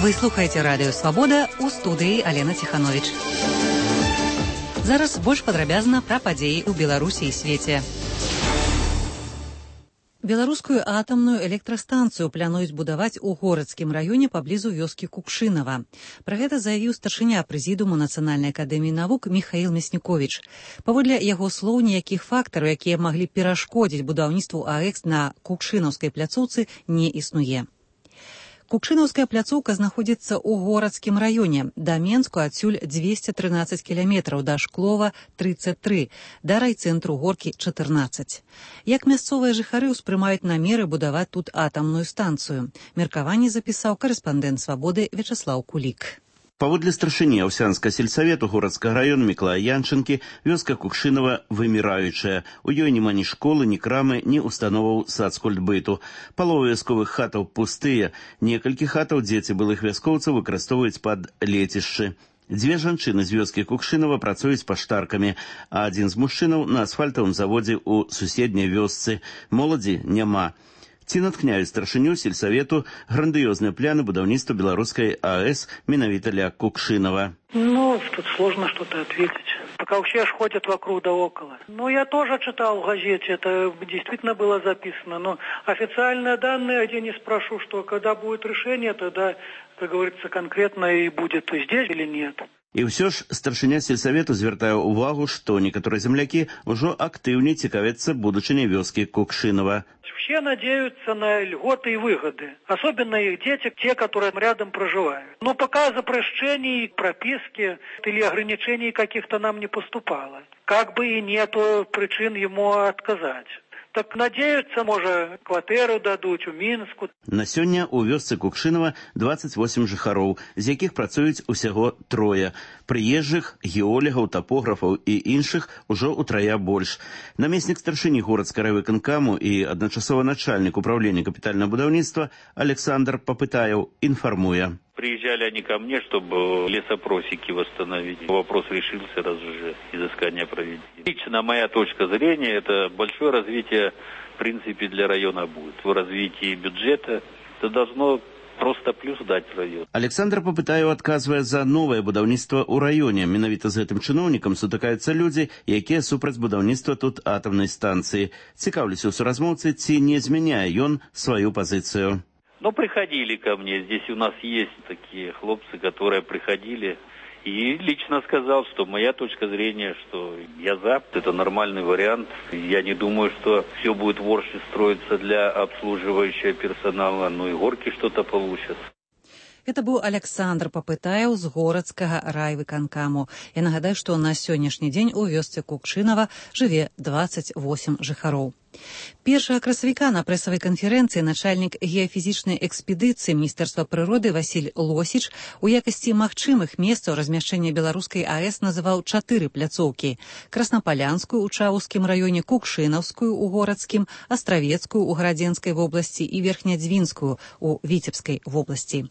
Вы слухаеце радыё «Свабода», у студыі Алена Ціхановіч. Зараз больш падрабязна пра падзеі ў Беларусі і свеце. Беларускую атамную электрастанцыю плануюць будаваць у Горацкім раёне паблізу вёскі Кукшынава. Пра гэта заявіў старшыня прэзідыуму Нацыянальнай акадэміі навук Міхаіл Мясніковіч. Паводле яго слоў, ніякіх фактараў, якія маглі перашкодзіць будаўніцтву АЭКС на Кукшынаўскай пляцоўцы, не існуе. Кукшынаўская пляцоўка знаходзіцца ў Горацкім раёне. Да Менску адсюль 213 кіламетраў, да Шклова 33, да райцэнтру Горкі 14. Як мясцовыя жыхары ўспрымаюць намеры будаваць тут атамную станцыю? Меркаванне запісаў корэспандэнт «Свабоды» Вячаслаў Кулік. Паводле старшыні Аўсянскага сельсавету Горацкага раёна Міклая Янчынкі, вёска Кукшынава выміраючая. У ёй няма ні школы, ні крамы, ні установаў сацкультбыту. Палова вясковых хатаў пустыя. Некалькі хатаў дзеці былых вяскоўцаў выкарыстоўваюць пад лецішчы. Дзве жанчыны з вёскі Кукшынава працуюць паштаркамі, а адзін з мужчынаў на асфальтавым заводзе ў суседняй вёсцы. Моладзі няма. Ці наткняюць старшыню сельсавету грандыёзныя пляны будаўніцтва беларускай АЭС менавіта ля Кукшынава? Тут сложно что-то ответить. Пока все ходят вокруг да около. Я тоже читал в газете, это действительно было записано. Но официальные данные, где не спрошу, что когда будет решение, тогда, как говорится, конкретно и будет здесь или нет. І ўсё ж старшыня сельсавету звяртае ўвагу, што некаторыя землякі ўжо актыўней цікавяцца будучыняй вёскі Кукшынава. Все надеются на льготы и выгоды. Особенно их дети, те, которые рядом проживают. Но пока запрещений, прописки или ограничений каких-то нам не поступало. Как бы и нету причин ему отказать. Так надеюцца, можа, кватэру дадуць у Мінску. На сёння ў вёсцы Кукшынава 28 жыхароў, з якіх працуюць усяго 3. Прыезджых, геолегаў, тапографаў і іншых ужо ўтрая больш. Намеснік старшыні Горацкага райвыканкаму і адначасова начальнік управлення капітальнага будаўніцтва Александр Попытаев інфармуе. Приезжали они ко мне, чтобы лесопросеки восстановить. Вопрос решился, раз уже изыскание проведено. Лично моя точка зрения, это большое развитие, в принципе, для района будет. В развитии бюджета это должно просто плюс дать район. Александр Попытаев адказвае за новае будаўніцтва ў раёне. Менавіта з гэтым чыноўнікам сутыкаюцца людзі, якія супраць будаўніцтва тут атамнай станцыі. Цікаўлюся ў суразмоўцы, ці не змяняе ён сваю пазіцыю. Приходили ко мне. Здесь у нас есть такие хлопцы, которые приходили. И лично сказал, что моя точка зрения, что я за. Это нормальный вариант. Я не думаю, что все будет в Орше строиться для обслуживающего персонала. И горки что-то получат. Это быў Александр Попытаев з Горацкага райвыканкаму. Я нагадаю, што на сённяшні дзень у вёсцы Кукшынава жыве 28 жыхароў. 1 красавіка на прэсавай канферэнцыі начальнік геафізічнай экспедыцыі Міністэрства прыроды Васіль Лосіч у якасці магчымых месцаў размяшчэння беларускай АЭС называў 4 пляцоўкі: Краснапалянскую ў Чаўскім раёне, Кукшынаўскую ў Горацкім, Астравецкую ў Гарадзенскай вобласці і Верхнядзвінскую ў Віцебскай вобласці.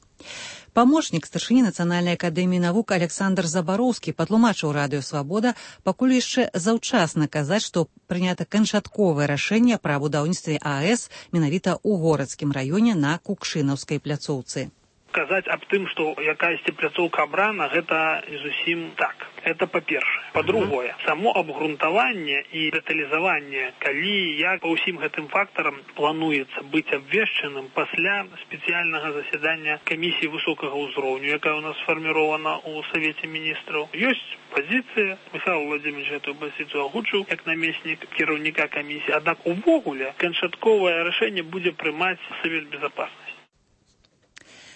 Памочнік старшыні Нацыянальнай акадэміі навук Александр Забароўскі патлумачыў радыё «Свабода», пакуль яшчэ заўчасна казаць, што прынята канчатковае рашэнне пра будаўніцтве АЭС менавіта ў Горацкім раёне на Кукшынаўскай пляцоўцы. Казаць аб тым, што якаясьці пляцоўка абрана, гэта не зусім так. Это па-першае. Па-другое, само абгрунтаванне і дэталізаванне, калі як па ўсім гэтым фактарам плануецца быць абвешчаным пасля спецыяльнага засядання камісіі высокага ўзроўню, якая у нас сфармірована ў Савеце міністраў. Ёсць пазіцыя, Михаил Владимирович эту пазіцыю агучыў як намеснік кіраўніка камісіі, аднак увогуле канчатковае рашэнне будзе прымаць Савет Безопасности.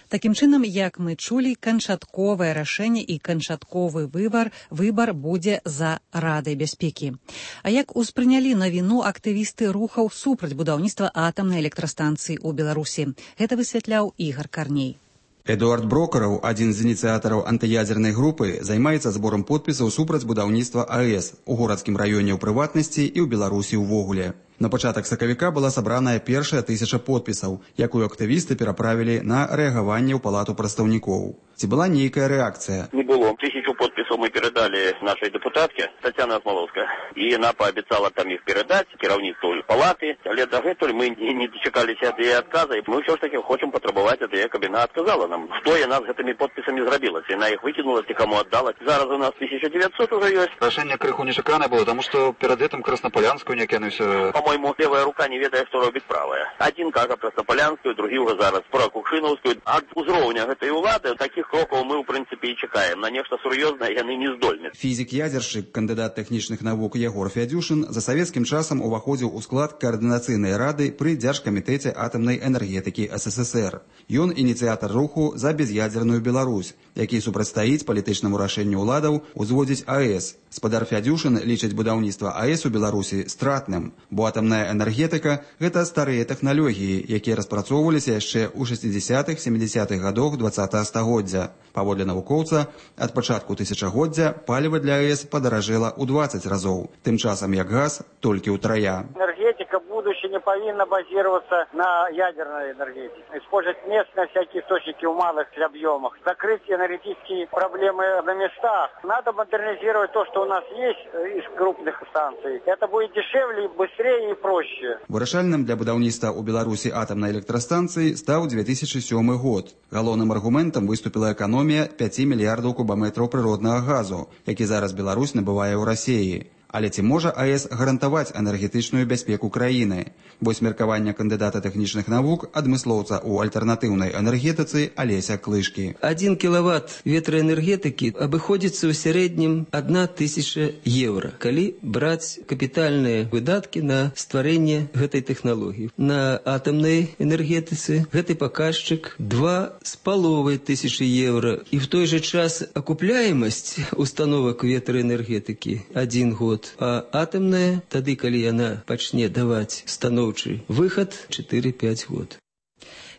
Такім чынам, як мы чулі, канчатковае рашэнне і канчатковы выбар будзе за Радай бяспекі. А як успрынялі навіну актывісты рухаў супраць будаўніцтва атамнай электрастанцыі ў Беларусі? Гэта высвятляў Ігор Карней. Эдуард Брокараў, адзін з ініцыятараў антыядзернай групы, займаецца зборам подпісаў супраць будаўніцтва АЭС у Горацкім раёне ў прыватнасці і ў Беларусі ўвогуле. На пачатак сакавіка была сабраная першая 1000 подпісаў, якую актывісты пераправілі на рэагаванне ў палату прадстаўнікоў. Ці была нейкая рэакцыя? Не было. 1000 подписов мы передали нашей депутатке Татьяне Осмоловской. И она пообещала там их передать кіраўніцтву палаты. Але дагэтуль мы не дочекалися ад яе отказа. И мы все ж таки хочем потребовать ад яе, каб яна отказала нам. Что яна с этими подписами зрабила? Яна их выкинула, ці кому отдала. Зараз у нас 1900 уже есть. Рашэнне крыху нечаканае было, потому что перед этим Краснополянскую не кинулся. По-моему, левая рука не ведает, что робит правая. Один кажа Краснополянскую, другий уже зараз про Кукшиновскую. От узроўня гэтай улады таких кроков мы, в принципе, и чекаем. На нечто серьезное яны не здольны. Фізік-ядзершчык, кандыдат тэхнічных навук Ягор Фядзюшын за савецкім часам уваходзіў у склад каардынацыйнай рады пры Дзяржкамітэце атамнай энергетыкі СССР. Ён ініцыятар руху за без'ядзерную Беларусь, які супрацьстаіць палітычнаму рашэнню ўладаў узводзіць АЭС. Спадар Фядзюшын лічыць будаўніцтва АЭС у Беларусі стратным, бо атамная энергетыка – гэта старыя тэхналогіі, якія распрацоўваліся яшчэ ў 60-70-х гадах 20-го стагоддзя. Паводле навукоўца, ад пачатку тысячагоддзя паліва для АЭС падаражэла ў 20 разоў, тым часам як газ толькі ўтрая. Энергетика будущее не повинна базироваться на ядерной энергетике. Использовать местные всякие источники в малых объемах. Закрыть энергетические проблемы на местах. Надо модернизировать то, что у нас есть из крупных станций. Это будет дешевле, быстрее и проще. Вырашальным для будаўніцтва ў Беларусі атамнай электрастанцыі стаў 2007 год. Галоўным аргументам выступіла эканомія 5 мільярдаў кубаметраў прыроднага газу, які зараз Беларусь набывае ў Расіі. Але ці можа АЭС гарантаваць энергетычную бяспеку краіны? Вось меркаванне кандыдата тэхнічных навук, адмыслоўца ў альтэрнатыўнай энергетыцы Алеся Клышкі. 1 киловатт ветроэнергетыкі абыходзіцца ў сярэднім 1000 евро, калі браць капітальныя выдаткі на стварэнне гэтай тэхналогіі. На атамнай энергетыцы гэты паказчык 2500 евро. І в той же час акупляемасць установак ветраэнергетыкі 1 год. А атомная, тады, калі яна пачне даваць станоўчы выхад, 4-5 год.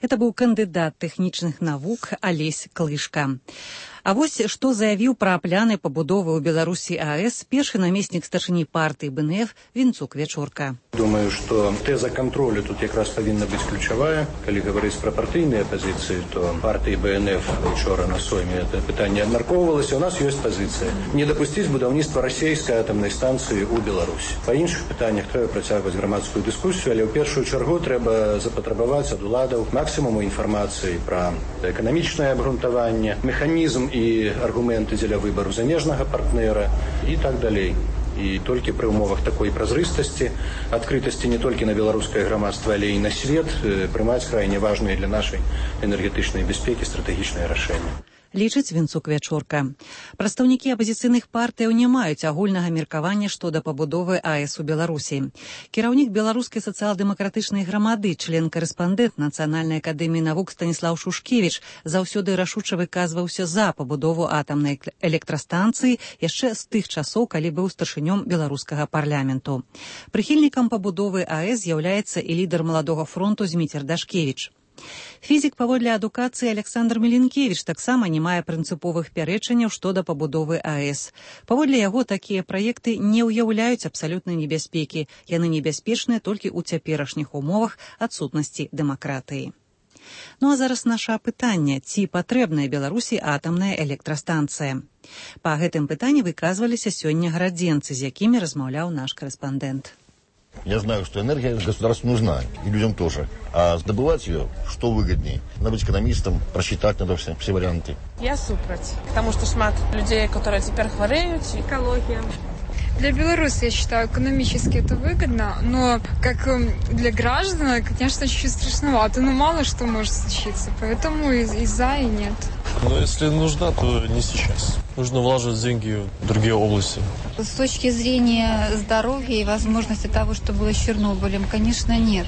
Это быў кандыдат тэхнічных навук Алесь Клышка. А вось што заявіў пра пляны пабудовы ў Беларусі АЭС першы намеснік старшыні партыі БНФ Вінцук Вячорка. Думаю, што тэза кантролю тут якраз павінна быць ключавая. Калі гаварыць пра партыйныя пазіцыі, то партыі БНФ учора на сойме это пытанне абмяркоўвалася. У нас ёсць пазіцыя не дапусціць будаўніцтва расійскай атамнай станцыі ў Беларусі. Па іншых пытаннях трэба працягваць грамадскую дыскусію, але ў першую чаргу трэба запатрабаваць ад уладаў максімуму інфармацыі пра эканамічнае абгрунтаванне, механізм і аргументы дзеля выбару замежнага партнера і так далей. І толькі пры умовах такой празрыстасці, адкрытасці не толькі на беларускае грамадства, але і на свет прымаць крайне важныя для нашай энергетычнай бяспекі стратэгічныя рашэнні. Лічыць Вінцук Вячорка. Прадстаўнікі апазіцыйных партыяў не маюць агульнага меркавання што да пабудовы АЭС у Беларусі. Кіраўнік беларускай сацыял-дэмакратычнай грамады, член-карэспандэнт Нацыянальнай акадэміі навук Станіслаў Шушкевіч заўсёды рашуча выказваўся за пабудову атамнай электрастанцыі яшчэ з тых часоў, калі быў старшынём беларускага парламенту. Прыхільнікам пабудовы АЭС з'яўляецца і лідар маладога фронту Зміцер Дашкевіч. Фізік паводле адукацыі Александр Меленкевіч таксама не мае прынцыповых пярэчанняў што да пабудовы АЭС. Паводле яго такія праекты не ўяўляюць абсалютнай небяспекі. Яны небяспечныя толькі ў цяперашніх умовах адсутнасці дэмакратыі. Ну а зараз наша пытанне, ці патрэбная Беларусі атамная электрастанцыя? Па гэтым пытанні выказваліся сёння гарадзенцы, з якімі размаўляў наш корэспандэнт. Я знаю, что энергия государству нужна, и людям тоже. А добывать ее, что выгоднее? Надо быть экономистом, просчитать надо все варианты. Я супраць, потому что шмат людей, которые теперь хвореют, экология. Для Беларуси, я считаю, экономически это выгодно, но как для граждан, конечно, чуть-чуть страшновато, но мало что может случиться, поэтому и за, и нет. Но если нужна, то не сейчас. Нужно влаживать деньги в другие области. С точки зрения здоровья и возможности того, что было с Чернобылем, конечно, нет.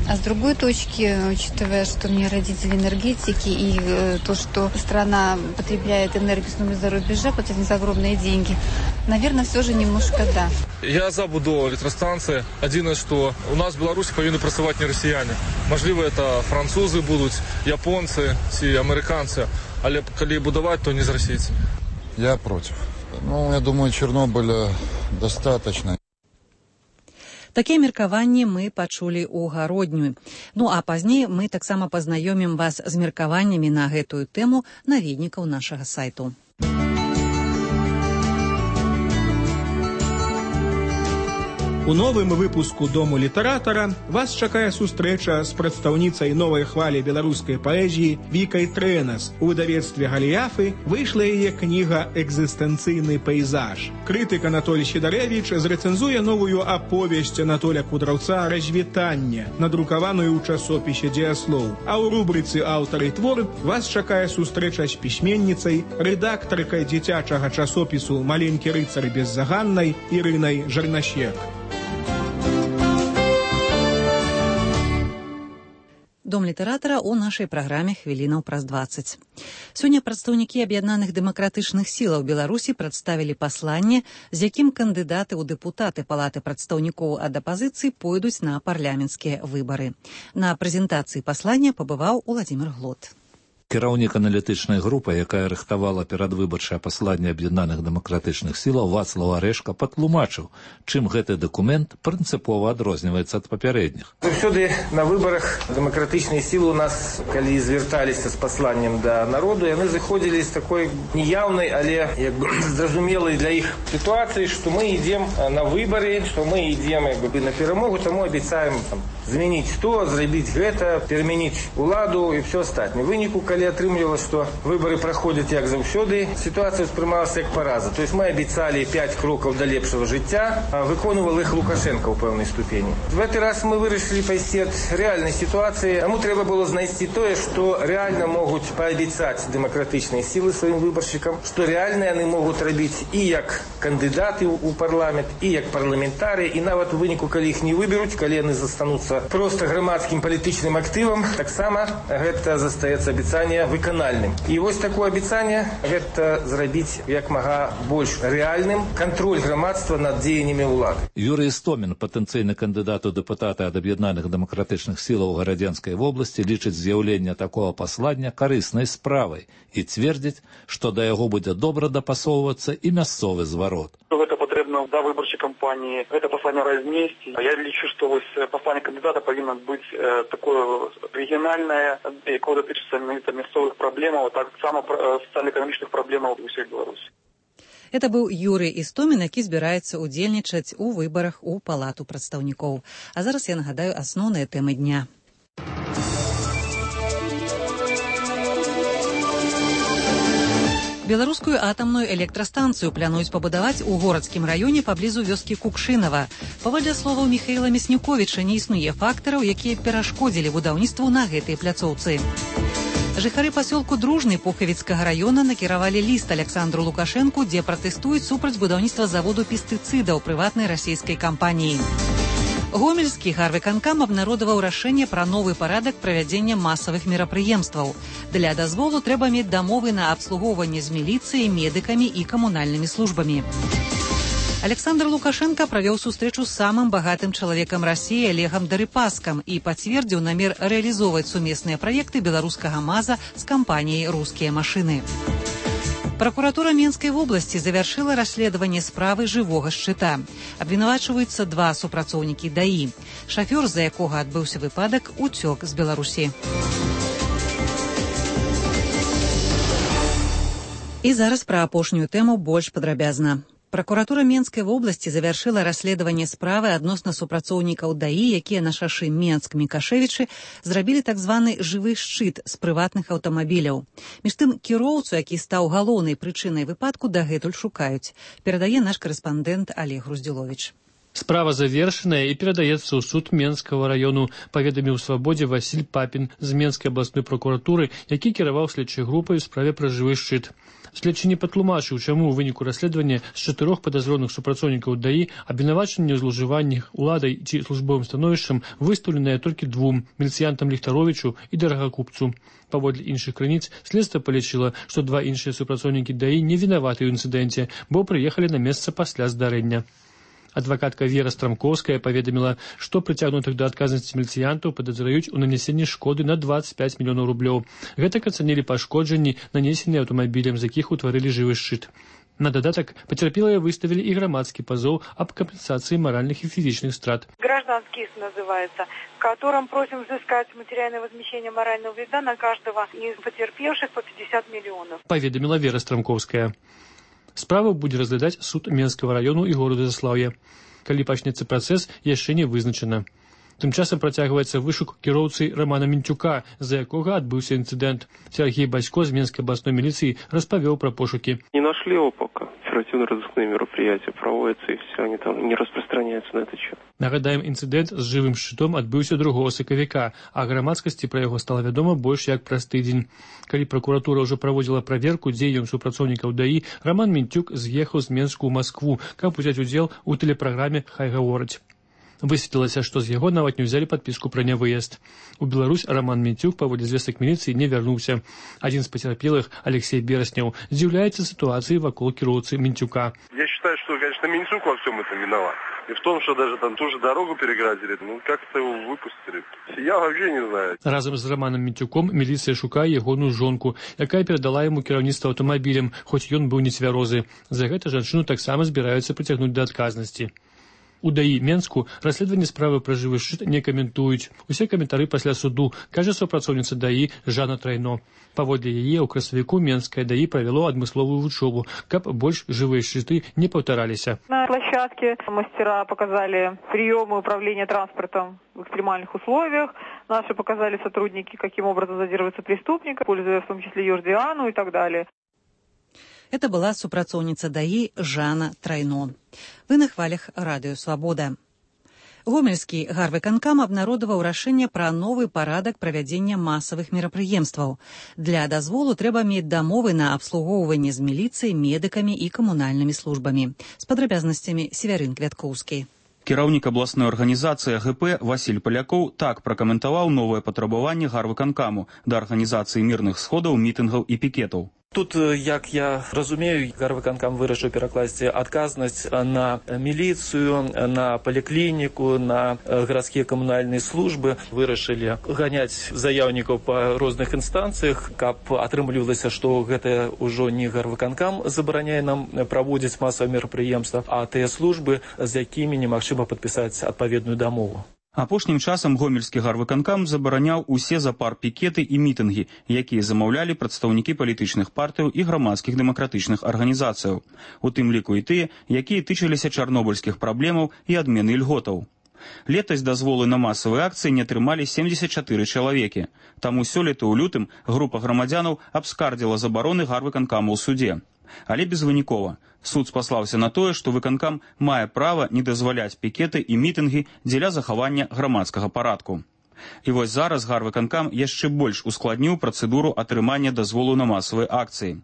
А с другой точки, учитывая, что у меня родители энергетики и то, что страна потребляет энергию за рубежа, платит за огромные деньги, наверное, все же немножко да. Я за будову электростанции. Одно, что у нас в Беларуси повинны працаваць не россияне. Можливо, это французы будут, японцы, американцы, але коли будовать, то не с российцами. Я против. Я думаю, Чернобыля достаточно. Такія меркаванні мы пачулі ў гародню. Ну а пазней мы таксама пазнаёмім вас з меркаваннямі на гэтую тэму наведнікаў нашага сайту. У новым выпуску «Дому літаратара» вас чакае сустрэча з прадстаўніцай новай хвалі беларускай паэзіі Вікай Трэнас. У выдавецтве «Галіяфы» выйшла яе кніга «Экзістэнцыйны пейзаж». Крытык Анатоль Сідарэвіч зрэцэнзуе новую аповесць Анатоля Кудраўца «Развітанне», надрукаваную ў часопісе «Дзеяслоў». А ў рубрыцы «Аўтар і твор» вас чакае сустрэча з пісьменніцай, рэдактаркай дзіцячага часопісу «Маленькі рыцар беззаганнай» Ірынай Жарнасек. Дом літаратара ў нашай праграме «Хвілінаў праз 20». Сёння прадстаўнікі аб'яднаных дэмакратычных сілаў Беларусі прадставілі пасланне, з якім кандыдаты ў дэпутаты Палаты прадстаўнікоў ад апазіцыі пойдуць на парламенцкія выбары. На прэзентацыі паслання пабываў Уладзімір Глот. Кіраўнік аналітычнай групы, якая рыхтавала перадвыбарчае пасланне аб'яднаных дэмакратычных сілаў Вацлаў Арэшка патлумачыў, чым гэты дакумент прынцыпова адрозніваецца ад папярэдніх. Заўсёды на выбарах дэмакратычныя сілы у нас, калі звярталіся з пасланнем да народу, яны заходзілі з такой неяўнай, але зразумелай для іх сітуацыі, што мы ідзем на выбары, што мы ідзем на перамогу, таму абяцаем змяніць то, зрабіць гэта, перамяніць уладу і ўсё астатняе. Выніку, калі атрымлівалася, што выбары праходзяць як заўсёды, сітуацыя ўспрымалася як параза. То есть мы абяцалі 5 крокаў да лепшага жыцця, а выконвал іх Лукашенко ў пэўнай ступені. В гэты раз мы вырашылі пайсці ад рэальнай сітуацыі, таму трэба было знайсці тое, што рэальна могуць паабяцаць дэмакратычныя сілы сваім выбаршчыкам, што рэальна яны могуць рабіць і як кандыдаты ў парламент, і як парламентарыі, і нават у выніку, калі іх не выберуць, калі яны застануцца проста грамадскім палітычным актывам, таксама гэта застаецца абяцанне выканальным. І вось такое абяцанне гэта зрабіць як мага больш рэальным кантроль грамадства над дзеяннямі ўлады. Юрый Істомін, патэнцыйны кандыдат у дэпутаты ад аб'яднаных дэмакратычных сілаў Гарадзенскай вобласці, лічыць з'яўленне такога паслання карыснай справай і цвердзіць, што да яго будзе добра дапасоўвацца і мясцовы зварот. Гэта патрэбна да выбарчай кампаніі, гэта пасланне разнесці. Я лічу, што вось пасланне кандыдата павінна быць такое рэгіянальнае, якое датычыцца мясцовых праблемаў, а таксама сацыяльна-эканамічных праблемаў усёй Беларусі. Это быў Юрый Істомін, які збіраецца ўдзельнічаць у выбарах у Палату прадстаўнікоў. А зараз я нагадаю асноўныя тэмы дня. Беларускую атамную электрастанцыю плануюць пабудаваць у горадскім раёне паблізу вёскі Кукшынава. Паводле словаў Міхаіла Мяснюковіча, не існуе фактараў, якія перашкодзілі будаўніцтву на гэтай пляцоўцы. Жыхары пасёлку Дружны Пухавіцкага раёна накіравалі ліст Александру Лукашэнку, дзе пратэстуюць супраць будаўніцтва заводу пестыцыдаў прыватнай расійскай кампаніі. Гомельскі гарвыканкам абнародаваў рашэнне пра новы парадак правядзення масавых мерапрыемстваў. Для дазволу трэба мець дамовы на абслугоўванне з міліцыяй, медыкамі і камунальнымі службамі. Александр Лукашенко правёў сустрэчу з самым багатым чалавекам Расіі Олегам Дарыпаскам і пацвердзіў намер рэалізоўваць сумесныя праекты беларускага МАЗа з кампаніяй «Рускія машыны». Прокуратура Менскай вобласці завяршыла расследаванне справы жывога шчыта. Абвінавачваюцца 2 супрацоўнікі ДАІ. Шафёр, з-за якога адбыўся выпадак, уцёк з Беларусі. І зараз пра апошнюю тэму больш падрабязна. Прокуратура Менскай вобласці завяршыла расследаванне справы адносна супрацоўнікаў ДАІ, якія на шашы Менск-Мікашевічы зрабілі так званы жывы шчыт з прыватных аўтамабіляў. Між тым, кіроўцу, які стаў галоўнай прычынай выпадку, дагэтуль шукаюць. Перадае наш карэспандэнт Олег Груздзіловіч. Справа завершаная і перадаецца ў суд Менскага раёну, паведаміў Свабодзе Васіль Папін з Менскай абласной прокуратуры, які кіраваў следчай групай у справе пра жывы шчыт. Следчы не патлумачыў, чаму ў выніку расследавання з 4 падазроных супрацоўнікаў ДАІ абвінавачанне ў злоўжываннях уладай ці службовым становішчам выстаўленае толькі 2 – міліцыянтам Ліхтаровічу і Дарагакупцу. Паводле іншых крыніц, следства палічыла, што 2 іншыя супрацоўнікі ДАІ не вінаваты ў інцыдэнце, бо прыехалі на месца пасля здарэння. Адвакатка Вера Страмкоўская паведаміла, што прыцягнутых да адказнасці міліцыянтаў падазраюць у нанесенні шкоды на 25 мільёнаў рублёў. Гэтак ацанілі пашкоджанні, нанесеныя аўтамабілем, з якіх утварылі жывы шчыт. На додаток потерпелые выставили и громадский позов об компенсации моральных и физических страт. Гражданский иск называется, в котором просим взыскать материальное возмещение морального вреда на каждого из потерпевших по 50 миллионов. Поведомила Вера Страмковская. Справу будзе разглядаць суд Менскага району і города Заслаўя. Калі пачнецца працэс, яшчэ не вызначана. Тым часам працягваецца вышук кіроўцы Романа Мінчука, за якога адбыўся інцыдэнт. Сергей Басько з Менскай областной милиции распавёў про пошуки. Не нашли его пока. Оперативно-розыскные мероприятия проводятся, и все, они там не распространяются на этот счет. Нагадаем, інцыдэнт з жывым шчытом адбыўся 2 сакавіка, а грамадскасці пра яго стала вядома больш як праз тыдзень. Калі прокуратура ўжо праводзіла праверку дзеянняў супрацоўнікаў ДАІ, Роман Мінчук з'ехаў з Менску ў Маскву, каб узяць удзел у тэлепраграме «Хай гавораць». Высветлілася, што з яго нават не ўзялі падпіску пра нявыезд. У Беларусь Роман Мінчук паводле звестак міліцыі не вярнуўся. Адзін з пацярпелых, Алексей Берасняў, здзіўляецца сітуацыі вакол кіроўцы Мінчука. Я считаю, что, конечно, Минчук во всем этом виноват. И в том, что даже там тоже дорогу переградили, как-то его выпустили. Я вообще не знаю. Разом з Романом Мінчуком міліцыя шукае ягоную жонку, якая перадала яму кіраўніцтва аўтамабілем, хоць ён быў нецвярозы. За гэта жанчыну таксама збіраюцца прыцягнуць да адказнасці. У ДАІ Менску расследаванне справы пра жывы шчыт не каментуюць. Усе каментары пасля суду, кажа супрацоўніца ДАІ Жанна Трайно. Паводле яе ў красавіку Менскае ДАІ правяло адмысловую вучобу, каб больш жывыя шчыты не паўтараліся. На площадке мастера показали приемы управления транспортом в экстремальных условиях. Наши показали сотрудники, каким образом задерживается преступник, используя в том числе Йордиану и так далее. Это была супрацоўніца ДАІ Жанна Трайно. Вы на хвалях Радыё Свабода. Гомельскі гарвыканкам абнародаваў рашэнне пра новы парадак правядзення масавых мерапрыемстваў. Для дазволу трэба мець дамовы на абслугоўванне з міліцыяй, медыкамі і камунальнымі службамі. З падрабязнасцямі Севярын Квяткоўскі. Кіраўнік абласной арганізацыі АГП Васіль Палякоў так пракаментаваў новае патрабаванне гарвыканкаму да арганізацыі мірных сходаў, мітынгаў і пікетаў. Тут, як я разумею, гарвыканкам вырашыў перакласці адказнасць на міліцыю, на паліклініку, на гарадскія камунальныя службы. Вырашылі ганяць заяўнікаў па розных інстанцыях, каб атрымлівалася, што гэта ўжо не гарвыканкам забараняе нам праводзіць масавыя мерапрыемства, а тыя службы, з якімі немагчыма падпісаць адпаведную дамову. Апошнім часам гомельскі гарвыканкам забараняў усе запар-пікеты і мітынгі, якія замаўлялі прадстаўнікі палітычных партыяў і грамадскіх дэмакратычных арганізацыяў, у тым ліку і тыя, якія тычыліся чарнобыльскіх праблемаў і адмены льготаў. Летась дазволы на масавыя акцыі не атрымалі 74 чалавекі, таму сёлета ў лютым група грамадзянаў абскардзіла забароны гарвыканкаму ў суде. Але безвынікова. Суд спаслаўся на тое, што выканкам мае права не дазваляць пікеты і мітынгі дзеля захавання грамадскага парадку. І вось зараз гарвыканкам яшчэ больш ускладніў працэдуру атрымання дазволу на масавыя акцыі.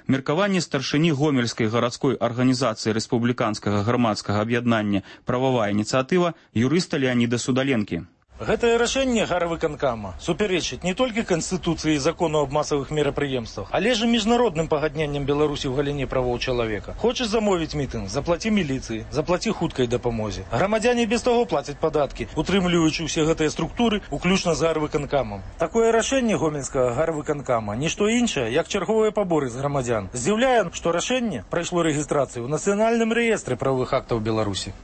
Меркаванне старшыні гомельскай гарадской арганізацыі рэспубліканскага грамадскага аб'яднання «Прававая ініцыятыва» юрыста Леаніда Судаленкі. Гэтае рашэнне гарвыканкама супярэчыць не толькі Канстытуцыі і закону аб масавых мерапрыемствах, але ж і міжнародным пагадненням Беларусі ў галіне правоў чалавека. Хочаш замовіць мітынг, заплаці міліцыі, заплаці хуткай дапамозе. Грамадзяне без таго плацяць падаткі, утрымліваючы ўсе гэтыя структуры, уключна з гарвыканкамам. Такое рашэнне гомельскага гарвыканкама нішто іншае, як чарговыя паборы з грамадзян. Здзіўляе, што рашэнне прайшло рэгістрацыю ў нацыянальным рэестры правовых актаў Беларусі.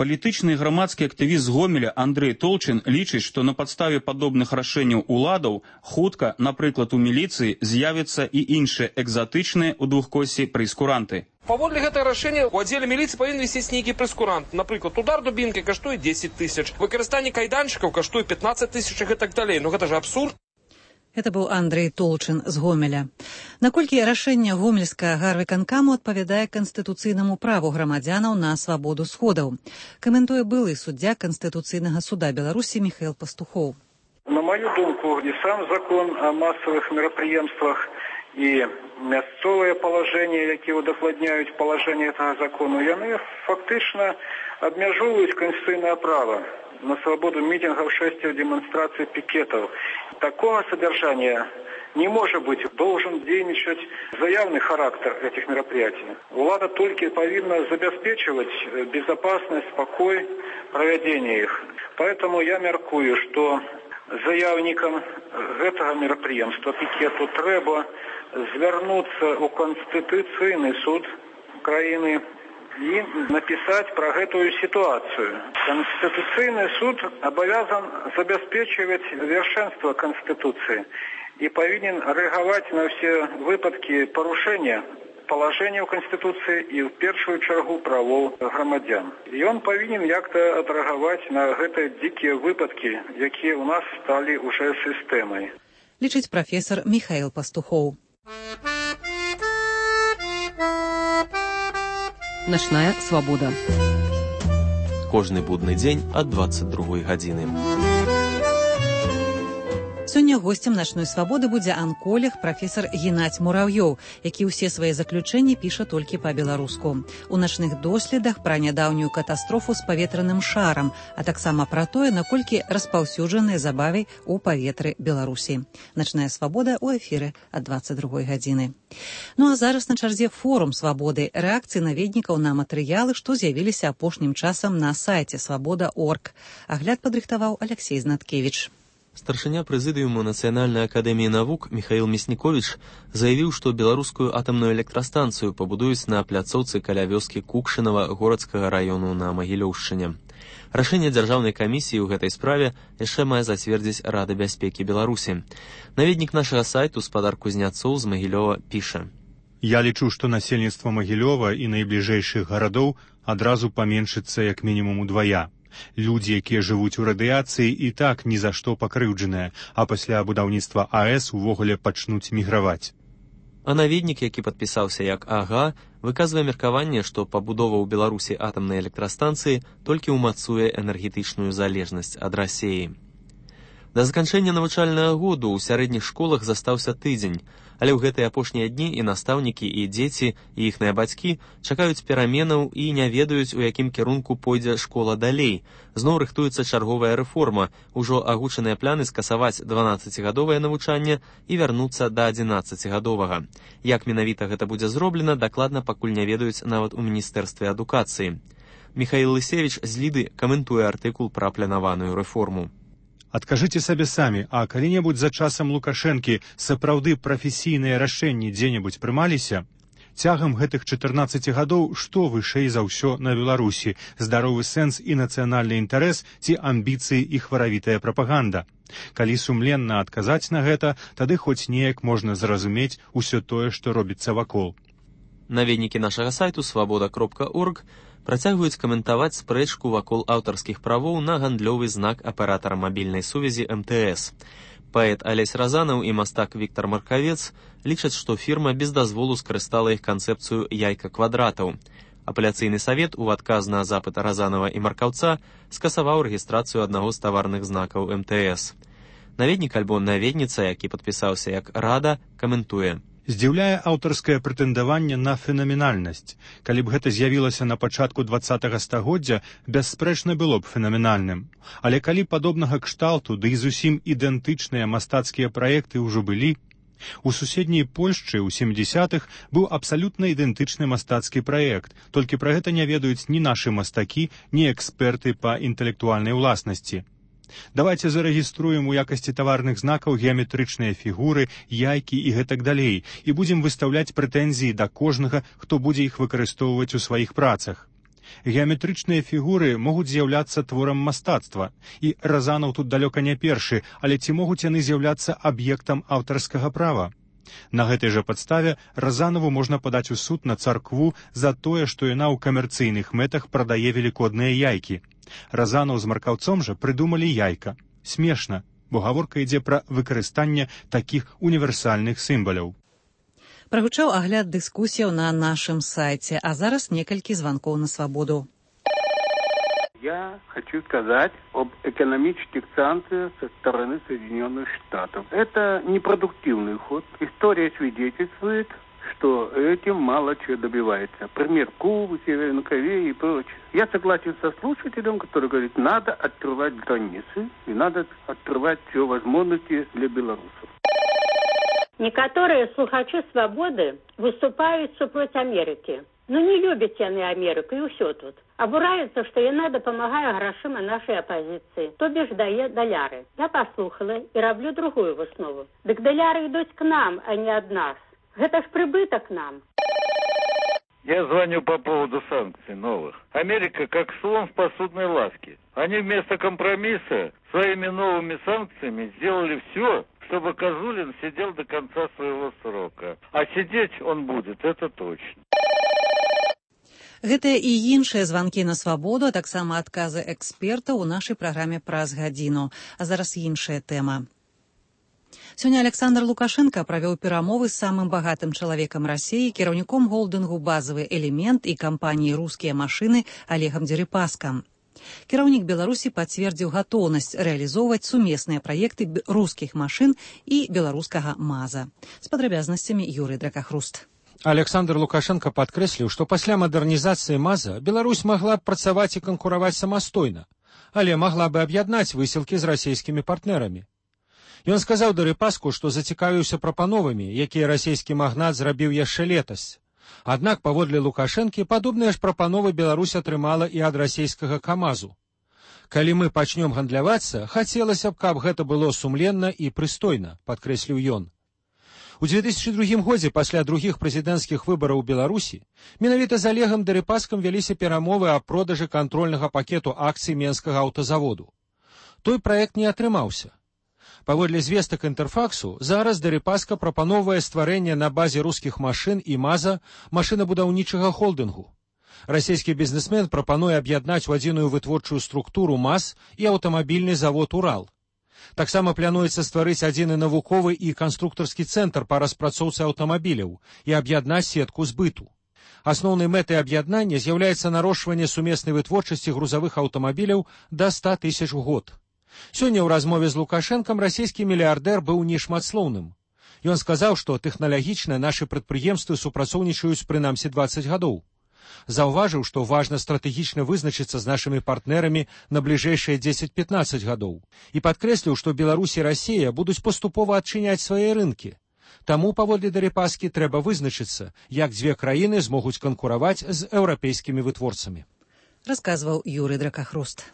Палітычны і грамадскі актывіст з Гомеля Андрэй Толчин лічыць, што на падставе падобных рашэнняў уладаў хутка, напрыклад, у міліцыі з'явяцца і іншыя экзатычныя ў двухкоссі прэйскуранты. Паводле гэтага рашэння у аддзеле міліцыі павінен вісець нейкі прэйскурант. Напрыклад, удар дубінкай каштуе 10 тысяч, выкарыстанне кайданчыкаў каштуе 15 тысяч і гэтак далей. Ну гэта ж абсурд. Это быў Андрэй Толчин з Гомеля. Наколькі рашэнне гомельскага гарвыканкаму адпавядае канстытуцыйнаму праву грамадзянаў на свабоду сходаў? Каментуе былы суддзя Канстытуцыйнага суда Беларусі Михаил Пастухоў. На мою думку, и сам закон о массовых мероприемствах, и мясцовые положения, які удакладняюць положение этого закона, яны фактично обмежовывают конституционное право на свободу митингов, шествий, демонстраций, пикетов. Такого содержания не может быть. Должен дейничать заявный характер этих мероприятий. Влада только повинна забеспечивать безопасность, спокой проведения их. Поэтому я мяркую, что заявникам этого мероприемства, пикету, треба звернуться у Конституційний суд краіны і напісаць пра гэтую сітуацыю. Конституцыйны суд абавязан забяспечваць вершэнства Конституцыі і павінен рэагаваць на ўсе выпадкі парушэння палажэнняў Конституцыі і ў першую чаргу правоў грамадзян. Ён павінен як-то адрэагаваць на гэтыя дзікія выпадкі, якія ў нас сталі ўжо сістэмай. Лічыць прафесор Михаил Пастухоў. Начная свабода. Кожны будны дзень ад 22 гадзіны. Сёння госцем начной свабоды будзе анколог прафесор Геннадзь Мурав'ёў, які ўсе свае заключэнні піша толькі па-беларуску. У начных доследах пра нядаўнюю катастрофу з паветраным шарам, а таксама пра тое, наколькі распаўсюджаныя забавы ў паветры Беларусі. Начная свабода ў эфіры ад 22 гадзіны. Ну а зараз на чарзе форум свабоды, рэакцыі наведнікаў на матэрыялы, што з'явіліся апошнім часам на сайце свабода.орг. Агляд падрыхтаваў Алексей Знаткевич. Старшыня прэзідыуму Нацыянальнай акадэміі навук Михаил Мясніковіч заявіў, што беларускую атамную электрастанцыю пабудуюць на пляцоўцы каля вёскі Кукшынава Горацкага раёну на Магілёўшчыне. Рашэнне дзяржаўнай камісіі ў гэтай справе яшчэ мае зацвердзіць Рада бяспекі Беларусі. Наведнік нашага сайту спадар Кузняцоў з Магілёва піша: «Я лічу, што насельніцтва Магілёва і найбліжэйшых гарадоў адразу паменшыцца як мінімум удвая. Людзі, якія жывуць у радыяцыі, і так ні за што пакрыўджаныя, а пасля будаўніцтва АЭС увогуле пачнуць міграваць». А наведнік, які падпісаўся як АГА, выказвае меркаванне, што пабудова ў Беларусі атамнай электрастанцыі толькі ўмацуе энергетычную залежнасць ад Расіі. Да заканчэння навучальнага году ў сярэдніх школах застаўся тыдзень, але ў гэтыя апошнія дні і настаўнікі, і дзеці, і іхныя бацькі чакаюць пераменаў і не ведаюць, у якім кірунку пойдзе школа далей. Зноў рыхтуецца чарговая рэформа, ужо агучаныя пляны скасаваць 12-гадовае навучанне і вярнуцца да 11-гадовага. Як менавіта гэта будзе зроблена, дакладна пакуль не ведаюць нават у Міністэрстве адукацыі. Михаил Лысевич з Ліды каментуе артыкул пра планаваную рэформу. Адкажыце сабе самі, а калі-небудзь за часам Лукашэнкі сапраўды прафесійныя рашэнні дзе-небудзь прымаліся? Цягам гэтых 14 гадоў што вышэй за ўсё на Беларусі? Здаровы сэнс і нацыянальны інтарэс ці амбіцыі і хваравітая прапаганда? Калі сумленна адказаць на гэта, тады хоць неяк можна зразумець усё тое, што робіцца вакол. Наведнікі нашага сайту свабода.орг працягваюць каментаваць спрэчку вакол аўтарскіх правоў на гандлёвы знак аператара мабільнай сувязі МТС. Паэт Алесь Разанаў і мастак Віктор Маркавец лічаць, што фірма без дазволу скарыстала іх канцэпцыю яйка квадратаў. Апеляцыйны савет у адказ на запыт Разанава і Маркаўца скасаваў рэгістрацыю аднаго з таварных знакаў МТС. Наведнік альбо наведніца, які падпісаўся як Рада, каментуе: «Здзіўляе аўтарскае прэтэндаванне на фенаменальнасць. Калі б гэта з'явілася на пачатку 20-го стагоддзя, бясспрэчна было б фенаменальным. Але калі падобнага кшталту, ды і зусім ідэнтычныя мастацкія праекты ўжо былі, у суседняй Польшчы ў 70-х быў абсалютна ідэнтычны мастацкі праект, толькі пра гэта не ведаюць ні нашы мастакі, ні эксперты па інтэлектуальнай уласнасці. Давайте зарэгіструем у якасці таварных знакаў геаметрычныя фігуры, яйкі і гэтак далей, і будзем выстаўляць прэтэнзіі да кожнага, хто будзе іх выкарыстоўваць у сваіх працах. Геаметрычныя фігуры могуць з'яўляцца творам мастацтва, і Разанаў тут далёка не першы, але ці могуць яны з'яўляцца аб'ектам аўтарскага права? На гэтай жа падставе Разанаву можна падаць у суд на царкву за тое, што яна ў камерцыйных мэтах прадае велікодныя яйкі. Разанаў з Маркаўцом жа прыдумалі яйка. Смешна, бо гаворка ідзе пра выкарыстанне такіх універсальных сімваляў. Прагучаў агляд дыскусіяў на нашым сайце, а зараз некалькі званкоў на свабоду. Я хочу сказать об экономических санкциях со стороны Соединенных Штатов. Это непродуктивный ход. История свидетельствует, что этим мало чего добивается. Пример Кубы, Северной Кореи и прочее. Я согласен со слушателем, который говорит, надо открывать границы и надо открывать все возможности для белорусов. Некоторые слухачи свободы выступают супроть Америки. Ну не любят яны Америку и все тут. Обураются, что яна допомагає грошима нашей оппозиции, то бишь дае доляры. Я послухала и роблю другую выснову. Так доляры идут к нам, а не от нас. Это ж прибыток нам. Я звоню по поводу санкций новых. Америка как слон в посудной лавке. Они вместо компромисса своими новыми санкциями сделали все, чтобы Козулин сидел до конца своего срока. А сидеть он будет, это точно. Гэтыя і іншыя званкі на свабоду, а таксама адказы экспертаў у нашай праграме праз гадзіну. А зараз іншая тэма. Сёння Александр Лукашенко правёў перамовы з самым багатым чалавекам Расіі, кіраўніком холдынгу «Базавы элемент» і кампаніі «Рускія машыны» Олегам Дерипаскам. Кіраўнік Беларусі пацвердзіў гатоўнасць рэалізоўваць сумесныя праекты рускіх машын і беларускага МАЗа. З падрабязнасцямі Юрый Дракахруст. Александр Лукашенко падкрэсліў, што пасля мадэрнізацыі МАЗа Беларусь магла б працаваць і канкураваць самастойна, але магла бы аб'яднаць высілкі з расійскімі партнерамі. Ён сказаў Дерипаску, што зацікавіўся прапановамі, якія расійскі магнат зрабіў яшчэ летась. Аднак, паводле Лукашэнкі, падобныя ж прапановы Беларусь атрымала і ад расійскага КамАЗу. Калі мы пачнём гандлявацца, хацелася б, каб гэта было сумленна і прыстойна, падкрэсліў ён. У 2002 годзе, пасля другіх прэзідэнцкіх выбараў у Беларусі, менавіта з Олегам Дерипаскам вяліся перамовы аб продажы кантрольнага пакету акцый Менскага аўтазаводу. Той праект не атрымаўся. Паводле звестак Інтэрфаксу, зараз Дерипаска прапаноўвае стварэнне на базе рускіх машын і МАЗа машынабудаўнічага холдынгу. Расійскі бізнесмен прапануе аб'яднаць у адзіную вытворчую структуру МАЗ і аўтамабільны завод «Урал». Таксама плануецца стварыць адзіны навуковы і канструктарскі цэнтр па распрацоўцы аўтамабіляў і аб'яднаць сетку збыту. Асноўнай мэтай аб'яднання з'яўляецца нарошчванне сумеснай вытворчасці грузавых аўтамабіляў да 100 тысяч у год. Сёння ў размове з Лукашэнкам расійскі мільярдэр быў нешматслоўным. Ён сказаў, што тэхналагічна нашы прадпрыемствы супрацоўнічаюць прынамсі 20 гадоў. Заўважыў, што важна стратэгічна вызначыцца з нашымі партнерамі на бліжэйшыя 10-15 гадоў. І падкрэсліў, што Беларусь і Расія будуць паступова адчыняць свае рынкі. Таму, паводле Дерипаскі, трэба вызначыцца, як дзве краіны змогуць канкураваць з еўрапейскімі вытворцамі. Расказваў Юрый Дракахруст.